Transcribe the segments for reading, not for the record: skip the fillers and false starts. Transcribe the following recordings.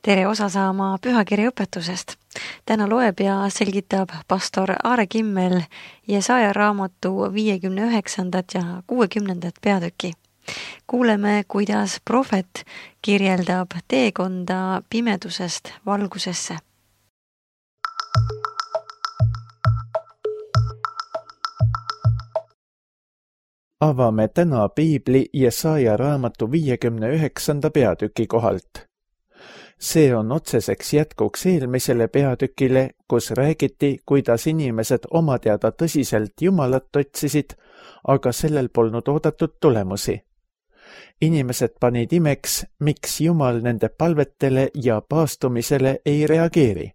Tere osa saama pühakirja õpetusest. Täna loeb ja selgitab pastor Aare Kimmel Jesaja raamatu 59. ja 60. peatüki. Kuuleme, kuidas prohvet kirjeldab teekonda pimedusest valgusesse. Avame täna piibli Jesaja raamatu 59. peatüki kohalt. See on otseseks jätkuks eelmisele peatükile, kus räägiti, kuidas inimesed oma teada tõsiselt Jumalat otsisid, aga sellel polnud oodatud tulemusi. Inimesed panid imeks, miks Jumal nende palvetele ja paastumisele ei reageeri.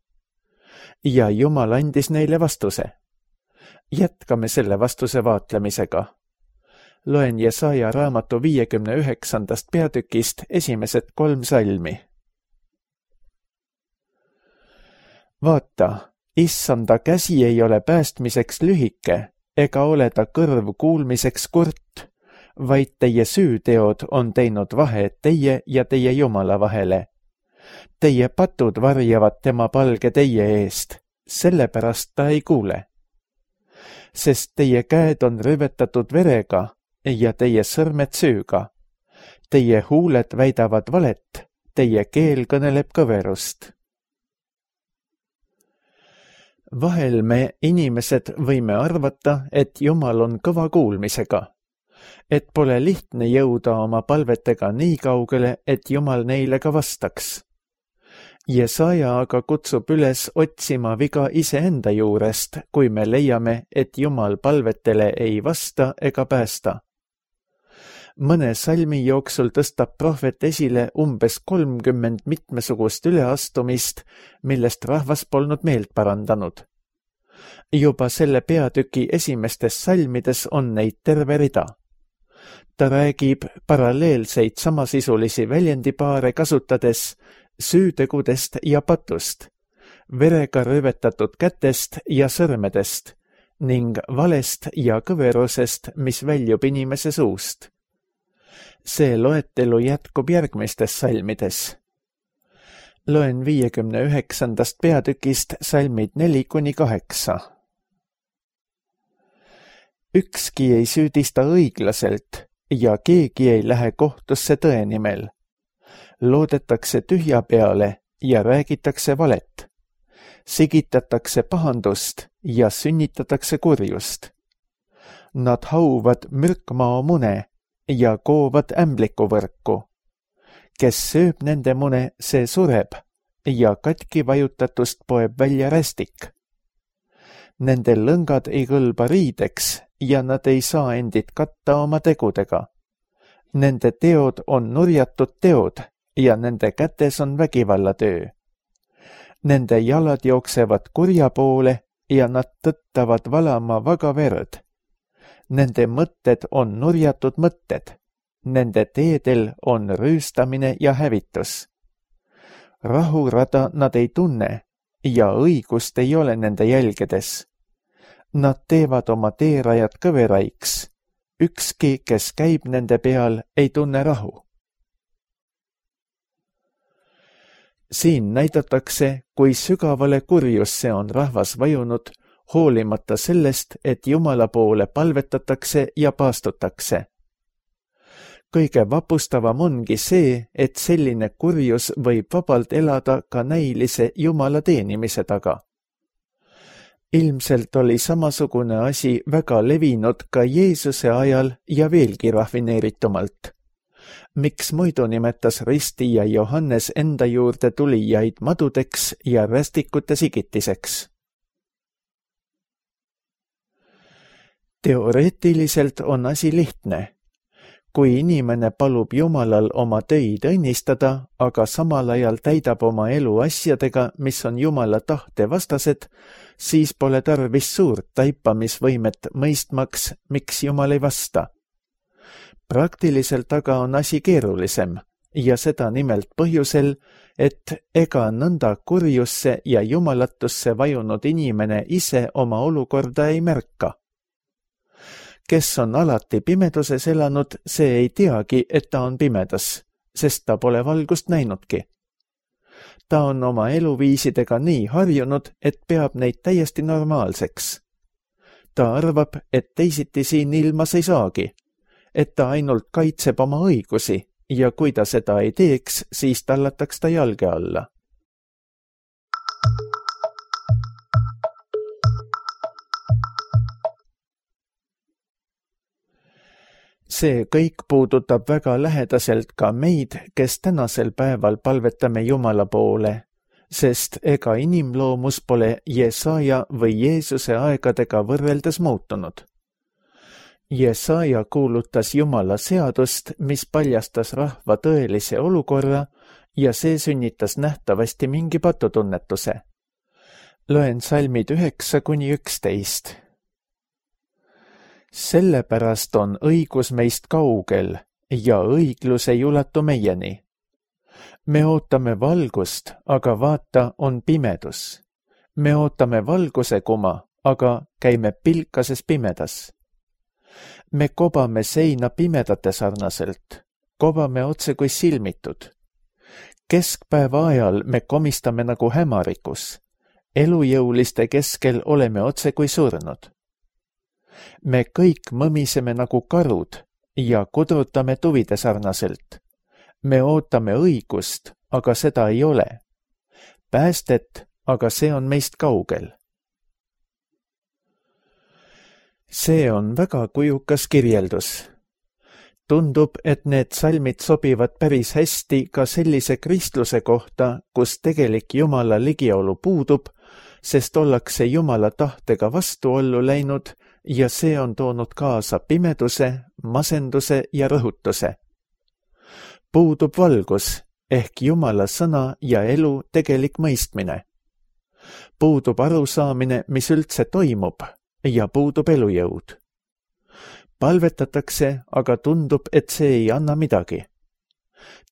Ja Jumal andis neile vastuse. Jätkame selle vastuse vaatlemisega. Loen Jesaja raamatu 59. peatükist esimesed 3 salmi. Vaata, issanda käsi ei ole päästmiseks lühike, ega ole ta kõrv kuulmiseks kurt, vaid teie süüteod on teinud vahe teie ja teie Jumala vahele. Teie patud varjavad tema palge teie eest, sellepärast ta ei kuule. Sest teie käed on rüvetatud verega ja teie sõrmed süüga. Teie huuled väidavad valet, teie keel kõneleb kõverust. Vahel me inimesed võime arvata, et Jumal on kõva kuulmisega, et pole lihtne jõuda oma palvetega nii kaugele, et Jumal neile ka vastaks. Jesaja aga kutsub üles otsima viga iseenda juurest, kui me leiame, et Jumal palvetele ei vasta ega päästa. Mõne salmi jooksul tõstab prohvet esile umbes 30 mitmesugust üleastumist, millest rahvas polnud meelt parandanud. Juba selle peatüki esimestes salmides on neid terve rida. Ta räägib paralleelseid samasisulisi väljendipaare kasutades süütegudest ja patust, verega rüvetatud kätest ja sõrmedest ning valest ja kõverusest, mis väljub inimese suust. See loetelu jätkub järgmistes salmides. Loen 59. peatükist salmid 4-8. Ükski ei süüdista õiglaselt ja keegi ei lähe kohtusse tõe nimel. Loodetakse tühja peale ja räägitakse valet. Sigitatakse pahandust ja sünnitatakse kurjust. Nad hauvad mürkmao mune ja koovad ämblikuvõrku. Kes sööb nende mune, see sureb ja katki vajutatust poeb välja rästik. Nende lõngad ei kõlba riideks ja nad ei saa endid katta oma tegudega. Nende teod on nurjatud teod ja nende kätes on vägivallatöö. Nende jalad jooksevad kurja poole ja nad tõttavad valama vaga verd. Nende mõtted on nurjatud mõtted. Nende teedel on rüüstamine ja hävitus. Rahurada nad ei tunne ja õigust ei ole nende jälgedes. Nad teevad oma teerajad kõveraiks. Ükski, kes käib nende peal, ei tunne rahu. Siin näidatakse, kui sügavale kurjusse on rahvas vajunud, hoolimata sellest, et Jumala poole palvetatakse ja paastutakse. Kõige vapustavam ongi see, et selline kurjus võib vabalt elada ka näilise Jumala teenimise taga. Ilmselt oli samasugune asi väga levinud ka Jeesuse ajal ja veelgi rafineeritumalt. Miks muidu nimetas Risti ja Johannes enda juurde tulijaid madudeks ja rästikute sigitiseks? Teoreetiliselt on asi lihtne. Kui inimene palub Jumalal oma töid õnnistada, aga samal ajal täidab oma elu asjadega, mis on Jumala tahte vastased, siis pole tarvis suurt taipamisvõimet mõistmaks, miks Jumal ei vasta. Praktiliselt aga on asi keerulisem ja seda nimelt põhjusel, et ega nõnda kurjusse ja jumalatusse vajunud inimene ise oma olukorda ei märka. Kes on alati pimeduses elanud, see ei teagi, et ta on pimedas, sest ta pole valgust näinudki. Ta on oma eluviisidega nii harjunud, et peab neid täiesti normaalseks. Ta arvab, et teisiti siin ilmas ei saagi, et ta ainult kaitseb oma õigusi ja kui ta seda ei teeks, siis tallataks ta jalge alla. See kõik puudutab väga lähedaselt ka meid, kes tänasel päeval palvetame Jumala poole, sest ega inimloomus pole Jesaja või Jeesuse aegadega võrreldes muutunud. Jesaja kuulutas Jumala seadust, mis paljastas rahva tõelise olukorra ja see sünnitas nähtavasti mingi patutunnetuse. Loen salmid 9–11. Sellepärast on õigus meist kaugel ja õiglus ei ulatu meieni. Me ootame valgust, aga vaata, on pimedus. Me ootame valguse kuma, aga käime pilkases pimedas. Me kobame seina pimedate sarnaselt, kobame otse kui silmitud. Keskpäeva ajal me komistame nagu hämarikus. Elujõuliste keskel oleme otse kui surnud. Me kõik mõmiseme nagu karud ja kudrutame tuvide sarnaselt. Me ootame õigust, aga seda ei ole. Päästet, aga see on meist kaugel. See on väga kujukas kirjeldus. Tundub, et need salmid sobivad päris hästi ka sellise kristluse kohta, kus tegelik Jumala ligiolu puudub, sest ollakse Jumala tahtega vastuollu läinud ja see on toonud kaasa pimeduse, masenduse ja rõhutuse. Puudub valgus ehk Jumala sõna ja elu tegelik mõistmine. Puudub arusaamine, mis üldse toimub ja puudub elujõud. Palvetatakse, aga tundub, et see ei anna midagi.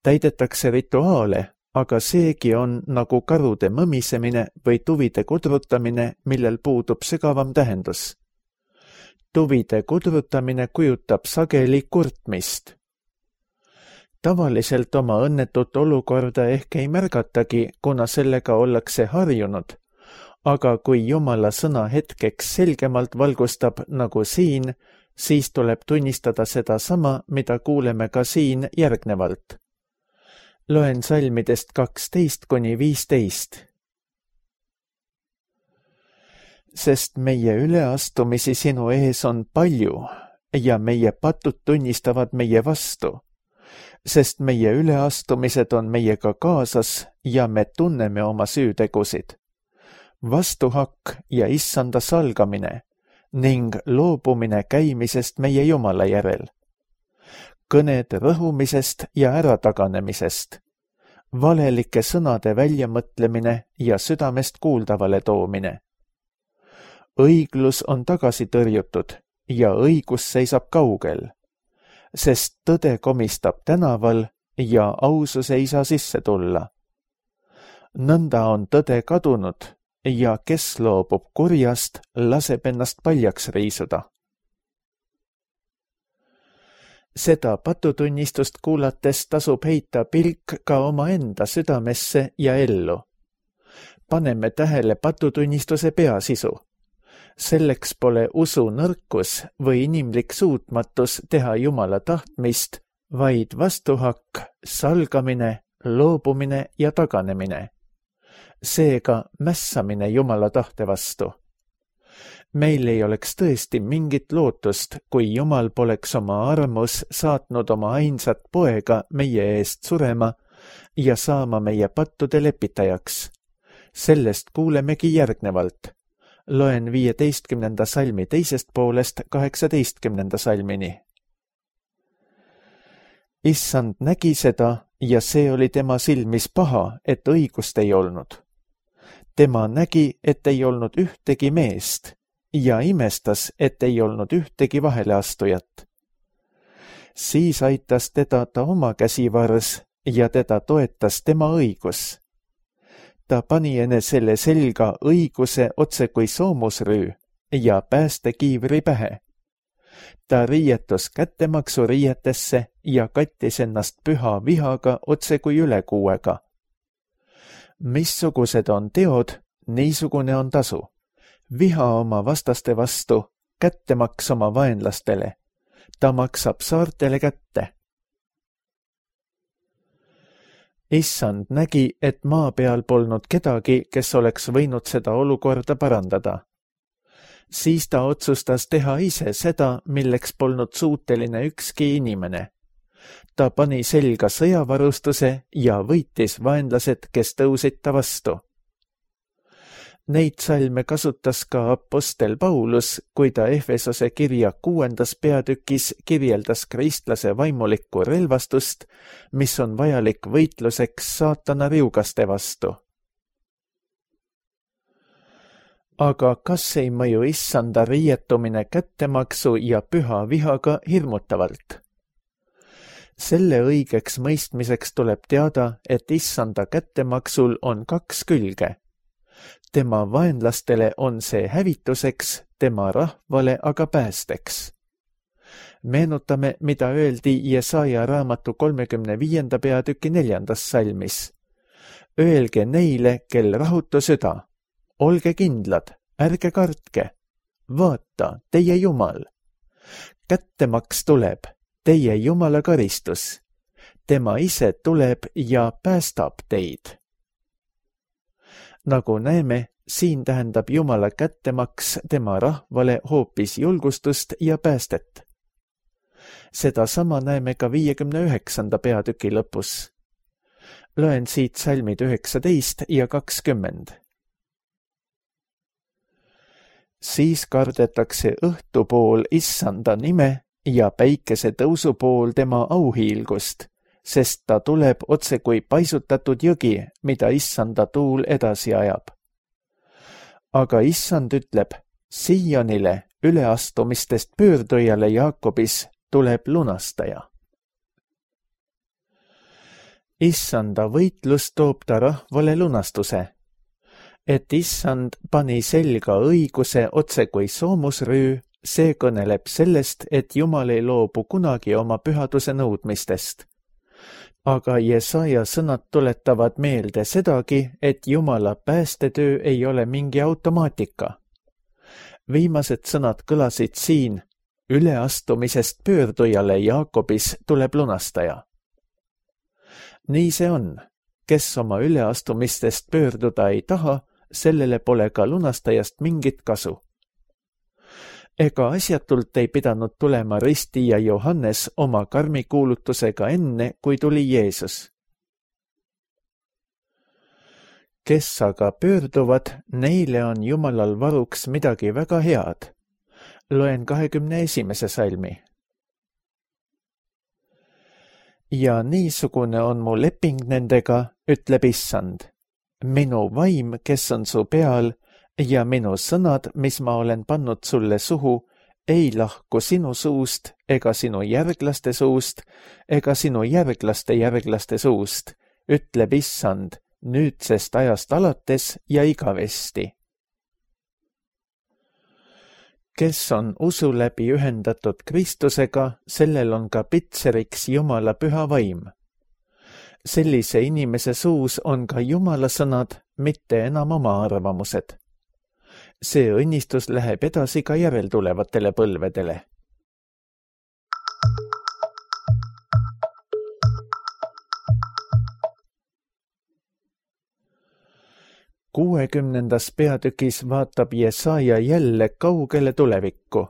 Täidetakse rituaale, aga seegi on nagu karude mõmisemine või tuvide kudrutamine, millel puudub sügavam tähendus. Tuvide kudrutamine kujutab sageli kurtmist. Tavaliselt oma õnnetut olukorda ehk ei märgatagi, kuna sellega ollakse harjunud, aga kui Jumala sõna hetkeks selgemalt valgustab nagu siin, siis tuleb tunnistada seda sama, mida kuuleme ka siin järgnevalt. Loen salmidest 12–15. Sest meie üleastumisi sinu ees on palju ja meie patud tunnistavad meie vastu, sest meie üleastumised on meiega kaasas ja me tunneme oma süütegusid. Vastuhakk ja issanda salgamine ning loobumine käimisest meie Jumala järel. Kõned rõhumisest ja ärataganemisest, valelike sõnade väljamõtlemine ja südamest kuuldavale toomine. Õiglus on tagasi tõrjutud ja õigus seisab kaugel, sest tõde komistab tänaval ja ausus ei saa sisse tulla. Nõnda on tõde kadunud ja kes loobub kurjast, laseb ennast paljaks riisuda. Seda patutunnistust kuulates tasub heita pilk ka omaenda südamesse ja ellu. Paneme tähele patutunnistuse peasisu. Selleks pole usu nõrkus või inimlik suutmatus teha Jumala tahtmist, vaid vastuhakk, salgamine, loobumine ja taganemine. Seega mässamine Jumala tahte vastu. Meil ei oleks tõesti mingit lootust, kui Jumal poleks oma armus saatnud oma ainsat poega meie eest surema ja saama meie pattude lepitajaks. Sellest kuulemegi järgnevalt. Loen 15. salmi teisest poolest 18. salmini. Issand nägi seda ja see oli tema silmis paha, et õigust ei olnud. Tema nägi, et ei olnud ühtegi meest ja imestas, et ei olnud ühtegi vaheleastujat. Siis aitas teda ta oma käsivars ja teda toetas tema õigus. Ta pani enesele selga õiguse otse kui soomusrüü ja päästekiivri pähe. Ta riietus kättemaksu riietesse ja kattis ennast püha vihaga otse kui ülekuuega. Missugused on teod, niisugune on tasu. Viha oma vastaste vastu, kättemaks oma vaenlastele. Ta maksab saartele kätte. Issand nägi, et maa peal polnud kedagi, kes oleks võinud seda olukorda parandada. Siis ta otsustas teha ise seda, milleks polnud suuteline ükski inimene. Ta pani selga sõjavarustuse ja võitis vaenlased, kes tõusid ta vastu. Neid salme kasutas ka apostel Paulus, kui ta Efesose kirja 6. peatükis kirjeldas kristlase vaimulikku relvastust, mis on vajalik võitluseks saatana riugaste vastu. Aga kas ei mõju issanda riietumine kättemaksu ja püha vihaga hirmutavalt? Selle õigeks mõistmiseks tuleb teada, et issanda kättemaksul on 2 külge. Tema vaenlastele on see hävituseks, tema rahvale aga päästeks. Meenutame, mida öeldi Jesaja raamatu 35. peatüki 4. salmis. Öelge neile, kel rahutu süda. Olge kindlad, ärge kartke. Vaata, teie Jumal. Kättemaks tuleb, teie Jumala karistus. Tema ise tuleb ja päästab teid. Nagu näeme, siin tähendab Jumala kättemaks tema rahvale hoopis julgustust ja päästet. Seda sama näeme ka 59. peatüki lõpus. Loen siit salmid 19 ja 20. Siis kardetakse õhtupool issanda nime ja päikese tõusupool tema auhiilgust, sest ta tuleb otse kui paisutatud jõgi, mida issanda tuul edasi ajab. Aga issand ütleb, Sionile, üleastumistest pöördujale Jaakobis, tuleb lunastaja. Issanda võitlus toob ta rahvale lunastuse, et issand pani selga õiguse otse kui soomusrüü, see kõneleb sellest, et Jumal ei loobu kunagi oma pühaduse nõudmistest. Aga Jesaja sõnad tuletavad meelde sedagi, et Jumala päästetöö ei ole mingi automaatika. Viimased sõnad kõlasid siin, üleastumisest pöördujale Jaakobis tuleb lunastaja. Nii see on, kes oma üleastumistest pöörduda ei taha, sellele pole ka lunastajast mingit kasu. Ega asjatult ei pidanud tulema ristija Johannes oma karmikuulutusega enne, kui tuli Jeesus. Kes aga pöörduvad, neile on Jumalal varuks midagi väga head. Loen 21. salmi. Ja niisugune on mu leping nendega, ütleb issand. Minu vaim, kes on su peal, ja minu sõnad, mis ma olen pannud sulle suhu, ei lahku sinu suust ega sinu järglaste suust ega sinu järglaste järglaste suust, ütleb issand, nüüdsest ajast alates ja igavesti. Kes on usu läbi ühendatud Kristusega, sellel on ka pitseriks Jumala püha vaim. Sellise inimese suus on ka Jumala sõnad, mitte enam oma arvamused. See õnnistus läheb edasi ka järeltulevatele põlvedele. Kuuekümnendas peatükis vaatab Jesaja jälle kaugele tulevikku.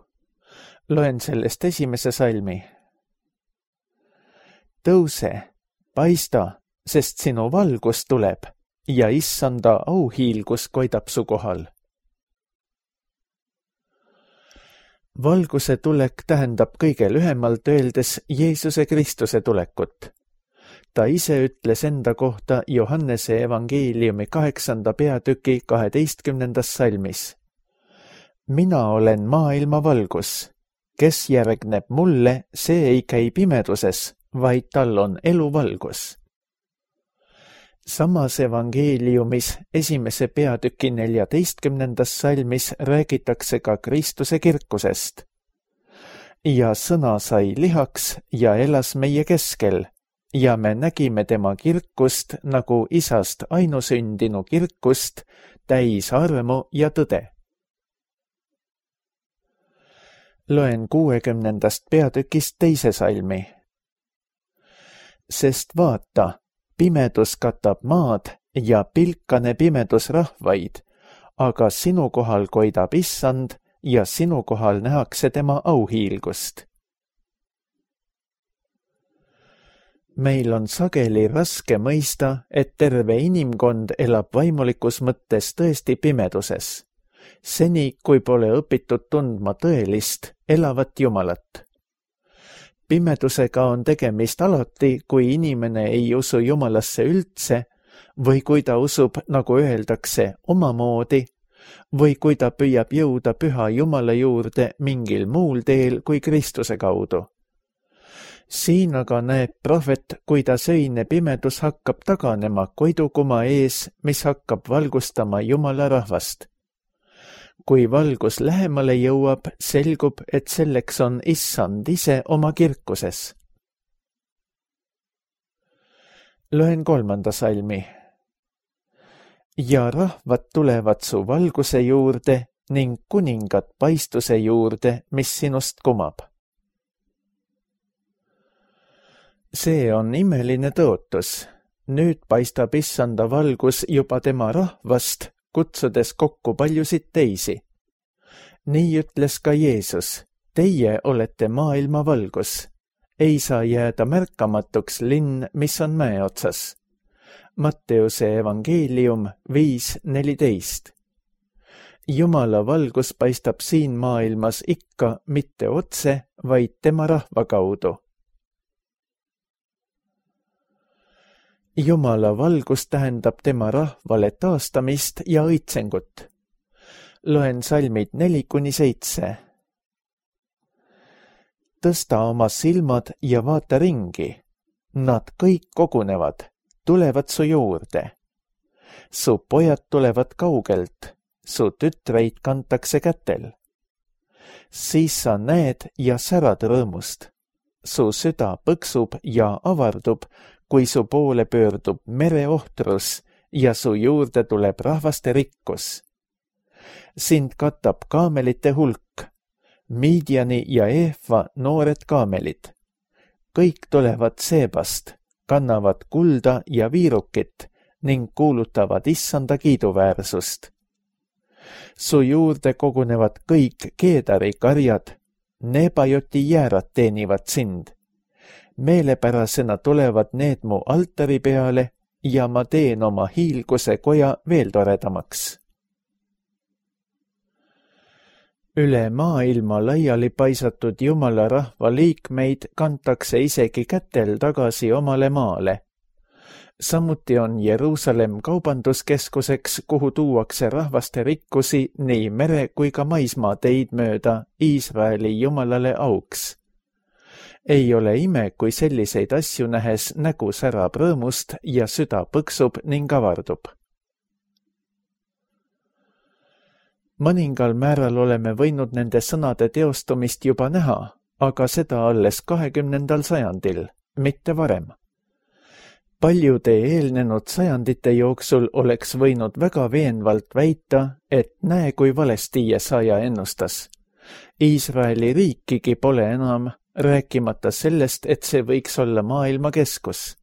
Loen sellest 1. salmi. Tõuse, paista, sest sinu valgus tuleb ja issanda auhiilgus koidab su kohal. Valguse tulek tähendab kõige lühemalt öeldes Jeesuse Kristuse tulekut. Ta ise ütles enda kohta Johannese evangeeliumi 8. peatüki 12. salmis. Mina olen maailma valgus. Kes järgneb mulle, see ei käi pimeduses, vaid tal on eluvalgus. Samas evangeeliumis 1. peatüki 14. salmis räägitakse ka Kristuse kirkusest. Ja sõna sai lihaks ja elas meie keskel ja me nägime tema kirkust nagu isast ainusündinu kirkust, täis armu ja tõde. Loen 60. peatükist 2. salmi. Sest vaata, pimedus katab maad ja pilkane pimedus rahvaid, aga sinu kohal koidab Issand ja sinu kohal nähakse tema auhiilgust. Meil on sageli raske mõista, et terve inimkond elab vaimulikus mõttes tõesti pimeduses, seni kui pole õpitud tundma tõelist, elavat Jumalat. Pimedusega on tegemist alati, kui inimene ei usu Jumalasse üldse või kui ta usub, nagu öeldakse, omamoodi või kui ta püüab jõuda püha Jumala juurde mingil muul teel kui Kristuse kaudu. Siin aga näeb prohvet, kuidas öine pimedus hakkab taganema koidukuma ees, mis hakkab valgustama Jumala rahvast. Kui valgus lähemale jõuab, selgub, et selleks on Issand ise oma kirkuses. Loen 3. salmi. Ja rahvad tulevad su valguse juurde ning kuningad paistuse juurde, mis sinust kumab. See on imeline tõotus. Nüüd paistab Issanda valgus juba tema rahvast, kutsudes kokku paljusid teisi. Nii ütles ka Jeesus, teie olete maailma valgus. Ei saa jääda märkamatuks linn, mis on mäe otsas. Matteuse evangeelium 5:14. Jumala valgus paistab siin maailmas ikka mitte otse, vaid tema rahva kaudu. Jumala valgus tähendab tema rahvale taastamist ja õitsengut. Loen salmid 4-7. Tõsta oma silmad ja vaata ringi. Nad kõik kogunevad, tulevad su juurde. Su pojad tulevad kaugelt, su tütreid kantakse kätel. Siis sa näed ja särad rõõmust. Su süda põksub ja avardub, kui su poole pöördub mereohtrus ja su juurde tuleb rahvaste rikkus. Sind katab kaamelite hulk, Midiani ja Eefa noored kaamelid. Kõik tulevad Seebast, kannavad kulda ja viirukit ning kuulutavad Issanda kiiduväärsust. Su juurde kogunevad kõik Keedari karjad, Nebajoti jäärad teenivad sind. Meelepärasena tulevad need mu altari peale ja ma teen oma hiilguse koja veel toredamaks. Üle maailma laiali paisatud Jumala rahva liikmeid kantakse isegi kätel tagasi omale maale. Samuti on Jeruusalemm kaubanduskeskuseks, kuhu tuuakse rahvaste rikkusi nii mere kui ka maismaa teid mööda Iisraeli Jumalale auks. Ei ole ime, kui selliseid asju nähes nägu särab rõõmust ja süda põksub ning avardub. Mõningal määral oleme võinud nende sõnade teostumist juba näha, aga seda alles 20. sajandil, mitte varem. Paljude eelnenud sajandite jooksul oleks võinud väga veenvalt väita, et näe, kui valesti Jesaja ennustas. Iisraeli riikigi pole enam, rääkimata sellest, et see võiks olla maailma keskus.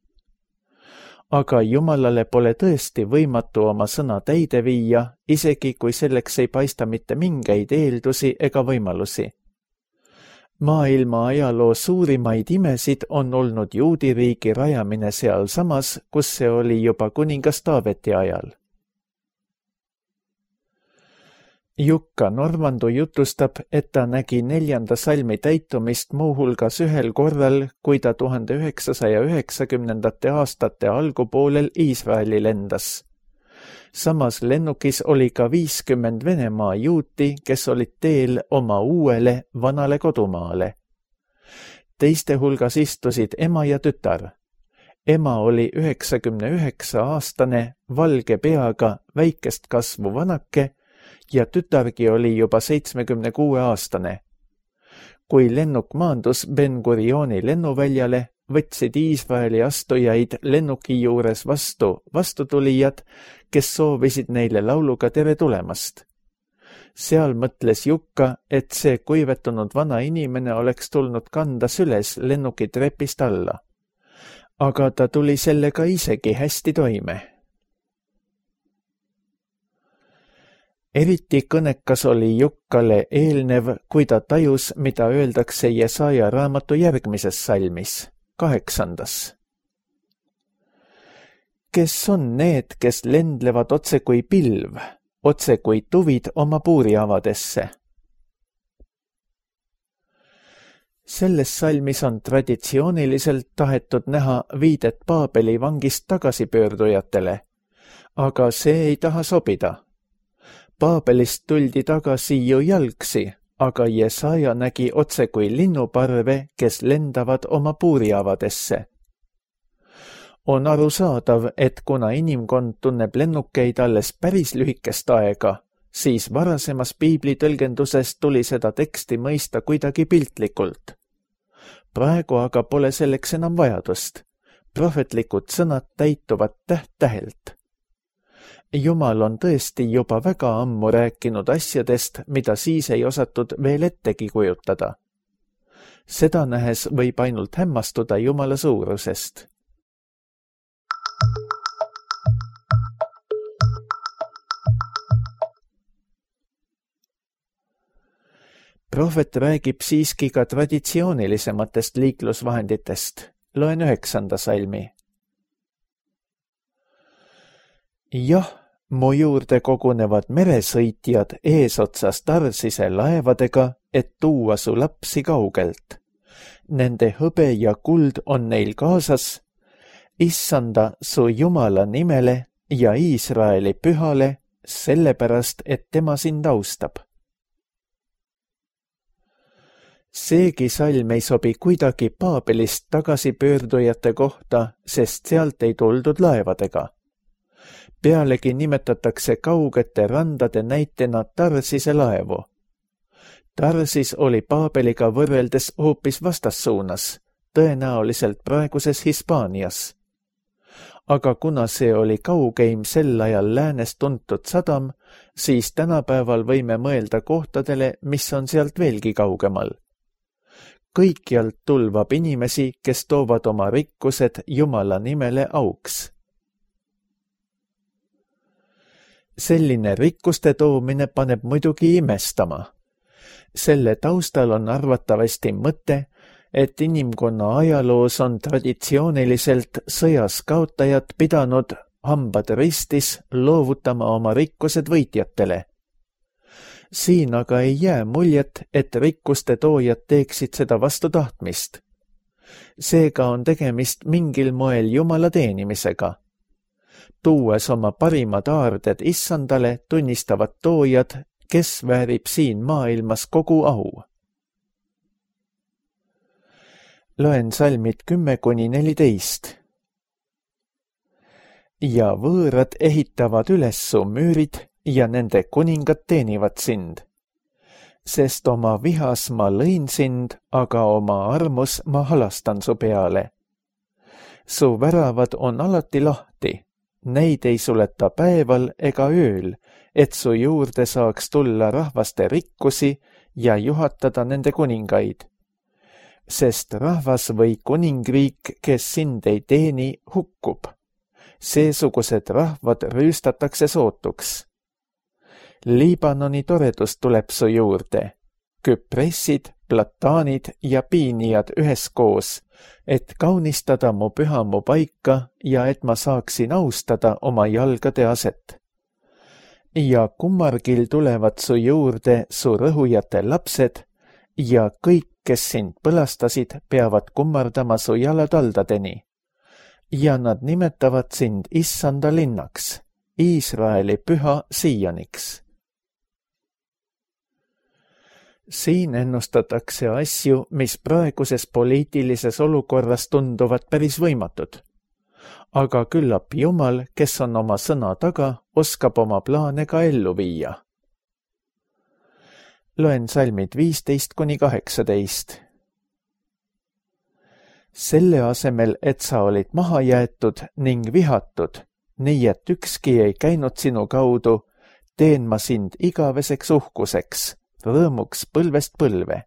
Aga Jumalale pole tõesti võimatu oma sõna täide viia, isegi kui selleks ei paista mitte mingeid eeldusi ega võimalusi. Maailma ajaloo suurimaid imesid on olnud juudiriigi rajamine sealsamas, kus see oli juba kuningas Taaveti ajal. Jukka Normandu jutustab, et ta nägi 4. salmi täitumist muuhulgas ühel korral, kui ta 1990. aastate algupoolel Iisraeli lendas. Samas lennukis oli ka 50 Venemaa juuti, kes olid teel oma uuele vanale kodumaale. Teiste hulgas istusid ema ja tütar. Ema oli 99-aastane, valge peaga, väikest kasvu vanake ja tütargi oli juba 76-aastane. Kui lennuk maandus Ben Gurioni lennuväljale, võtsid Iisraeli astujaid lennuki juures vastutulijad, kes soovisid neile lauluga tere tulemast. Seal mõtles Jukka, et see kuivetunud vana inimene oleks tulnud kanda süles lennuki trepist alla. Aga ta tuli sellega isegi hästi toime. Eriti kõnekas oli Jukkale eelnev, kui ta tajus, mida öeldakse Jesaja raamatu järgmises salmis, 8. Kes on need, kes lendlevad otse kui pilv, otse kui tuvid oma puuriavadesse? Selles salmis on traditsiooniliselt tahetud näha viidet Paabeli vangist tagasipöördujatele, aga see ei taha sobida. Paabelist tuldi tagasi ju jalgsi, aga Jesaja nägi otse kui linnuparve, kes lendavad oma puuriavadesse. On arusaadav, et kuna inimkond tunneb lennukeid alles päris lühikest aega, siis varasemas piibli tõlgenduses tuli seda teksti mõista kuidagi piltlikult. Praegu aga pole selleks enam vajadust. Prohvetlikud sõnad täituvad täht-tähelt. Jumal on tõesti juba väga ammu rääkinud asjadest, mida siis ei osatud veel ettegi kujutada. Seda nähes võib ainult hämmastuda Jumala suurusest. Prohvet räägib siiski ka traditsioonilisematest liiklusvahenditest. Loen 9. salmi. Jah, mu juurde kogunevad meresõitjad eesotsas Tarsise laevadega, et tuua su lapsi kaugelt. Nende hõbe ja kuld on neil kaasas, issanda su Jumala nimele ja Iisraeli pühale, sellepärast, et tema sind austab. Seegi salm ei sobi kuidagi Paabelist tagasipöördujate kohta, sest sealt ei tuldud laevadega. Pealegi nimetatakse kaugete randade näitena Tarsise laevu. Tarsis oli Paabeliga võrreldes hoopis vastassuunas, tõenäoliselt praeguses Hispaanias. Aga kuna see oli kaugeim sel ajal läänes tuntud sadam, siis tänapäeval võime mõelda kohtadele, mis on sealt veelgi kaugemal. Kõikjalt tulvab inimesi, kes toovad oma rikkused Jumala nimele auks. Selline rikkuste toomine paneb muidugi imestama. Selle taustal on arvatavasti mõte, et inimkonna ajaloos on traditsiooniliselt sõjas kaotajad pidanud hambad ristis loovutama oma rikkused võitjatele. Siin aga ei jää muljet, et rikkuste toojad teeksid seda vastu tahtmist. Seega on tegemist mingil moel Jumala teenimisega. Tuues oma parimad aarded issandale, tunnistavad toojad, kes väärib siin maailmas kogu au. Loen salmid 10–14. Ja võõrad ehitavad üles su müürid ja nende kuningad teenivad sind. Sest oma vihas ma lõin sind, aga oma armus ma halastan su peale. Su väravad on alati lahti, neid ei suleta päeval ega ööl, et su juurde saaks tulla rahvaste rikkusi ja juhatada nende kuningaid. Sest rahvas või kuningriik, kes sind ei teeni, hukkub. Seesugused rahvad rüüstatakse sootuks. Liibanoni toredus tuleb su juurde, küpressid, plataanid ja piinijad üheskoos, et kaunistada mu pühamu paika ja et ma saaksin austada oma jalgade aset. Ja kummargil tulevad su juurde su rõhujate lapsed ja kõik, kes sind põlastasid, peavad kummardama su jalataldadeni. Ja nad nimetavad sind issanda linnaks, Iisraeli püha Sioniks. Siin ennustatakse asju, mis praeguses poliitilises olukorras tunduvad päris võimatud. Aga küllap Jumal, kes on oma sõna taga, oskab oma plaane ka ellu viia. Loen salmid 15–18. Selle asemel, et sa olid maha jäetud ning vihatud, nii et ükski ei käinud sinu kaudu, teen ma sind igaveseks uhkuseks, rõõmuks põlvest põlve.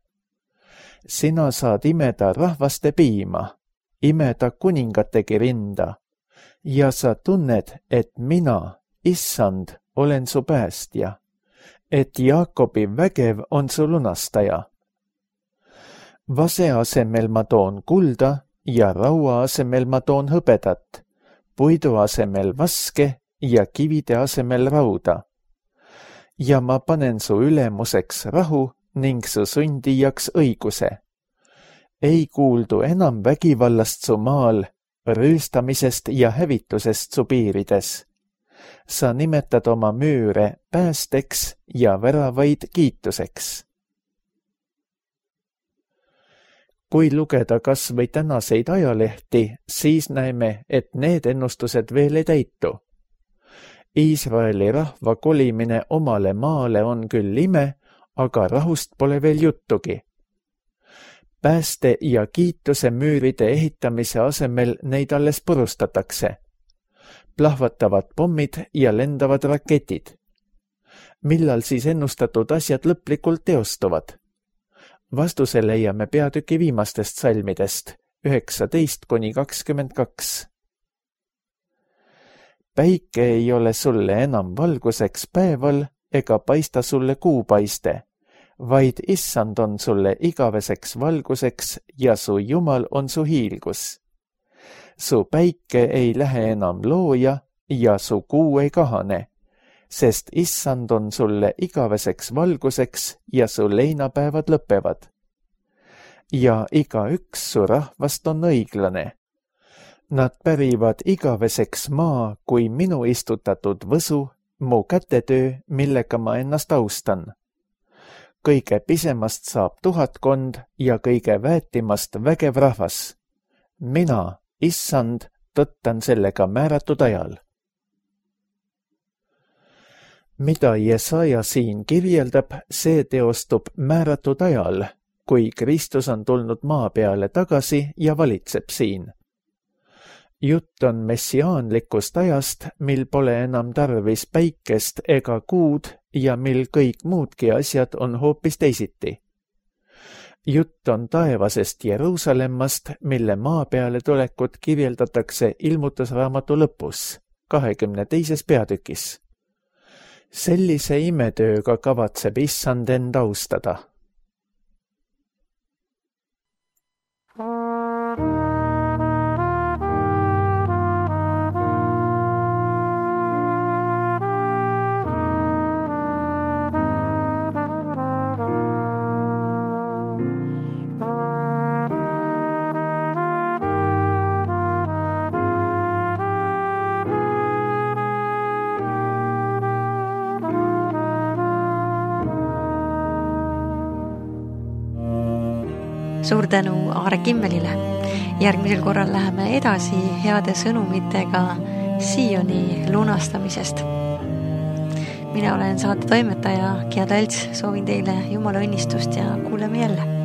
Sina saad imeda rahvaste piima, imeda kuningategi rinda, ja sa tunned, et mina, Issand, olen su päästja, et Jaakobi vägev on su lunastaja. Vase asemel ma toon kulda ja raua asemel ma toon hõbedat, puidu asemel vaske ja kivide asemel rauda. Ja ma panen su ülemuseks rahu ning su sundijaks õiguse. Ei kuuldu enam vägivallast su maal, rüüstamisest ja hävitusest su piirides. Sa nimetad oma müüre päästeks ja väravaid kiituseks. Kui lugeda kas või tänaseid ajalehti, siis näeme, et need ennustused veel ei täitu. Iisraeli rahva kolimine omale maale on küll ime, aga rahust pole veel juttugi. Pääste ja kiituse müüride ehitamise asemel neid alles purustatakse. Plahvatavad pommid ja lendavad raketid. Millal siis ennustatud asjad lõplikult teostuvad? Vastuse leiame peatüki viimastest salmidest, 19-22. Päike ei ole sulle enam valguseks päeval ega paista sulle kuupaiste, vaid Issand on sulle igaveseks valguseks ja su Jumal on su hiilgus. Su päike ei lähe enam looja ja su kuu ei kahane, sest Issand on sulle igaveseks valguseks ja su leinapäevad lõpevad. Ja igaüks su rahvast on õiglane. Nad pärivad igaveseks maa kui minu istutatud võsu, mu kätetöö, millega ma ennast austan. Kõige pisemast saab 1000 ja kõige väetimast vägev rahvas. Mina, Issand, tõttan sellega määratud ajal. Mida Jesaja siin kirjeldab, see teostub määratud ajal, kui Kristus on tulnud maa peale tagasi ja valitseb siin. Jutt on messiaanlikust ajast, mil pole enam tarvis päikest ega kuud ja mil kõik muudki asjad on hoopis teisiti. Jutt on taevasest Jeruusalemmast, mille maa peale tulekut kirjeldatakse ilmutusraamatu lõpus, 22. peatükis. Sellise imetööga kavatseb Issand end austada. Suur tänu Aare Kimmelile. Järgmisel korral läheme edasi heade sõnumitega Sioni lunastamisest. Mina olen saate toimetaja Gia Talts, soovin teile Jumala õnnistust ja kuuleme jälle.